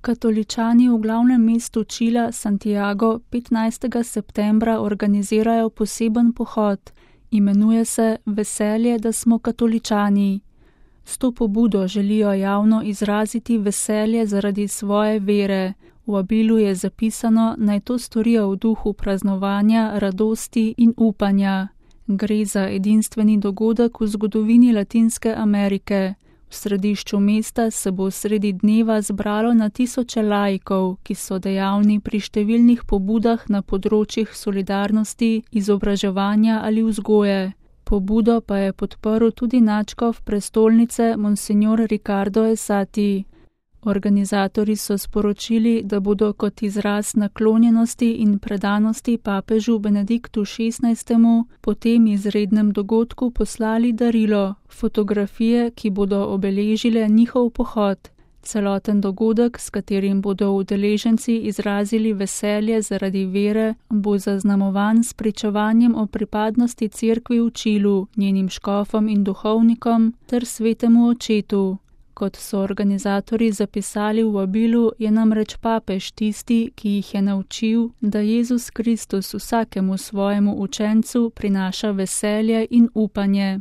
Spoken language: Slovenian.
Katoličani v glavnem mestu Čila, Santiago, 15. septembra organizirajo poseben pohod. Imenuje se Veselje, da smo katoličani. S to pobudo želijo javno izraziti veselje zaradi svoje vere. V vabilu je zapisano, naj to storijo v duhu praznovanja, radosti in upanja. Gre za edinstveni dogodek v zgodovini Latinske Amerike. V središču mesta se bo sredi dneva zbralo na tisoče laikov, ki so dejavni pri številnih pobudah na področjih solidarnosti, izobraževanja ali vzgoje. Pobudo pa je podprl tudi nadškof prestolnice Monsignor Ricardo Esati. Organizatorji so sporočili, da bodo kot izraz naklonjenosti in predanosti papežu Benediktu XVI. Po tem izrednem dogodku poslali darilo, fotografije, ki bodo obeležile njihov pohod. Celoten dogodek, s katerim bodo udeleženci izrazili veselje zaradi vere, bo zaznamovan s pričevanjem o pripadnosti cerkvi v Čilu, njenim škofom in duhovnikom ter svetemu očetu. Kot so organizatorji zapisali v vabilu, je namreč papež tisti, ki jih je naučil, da Jezus Kristus vsakemu svojemu učencu prinaša veselje in upanje.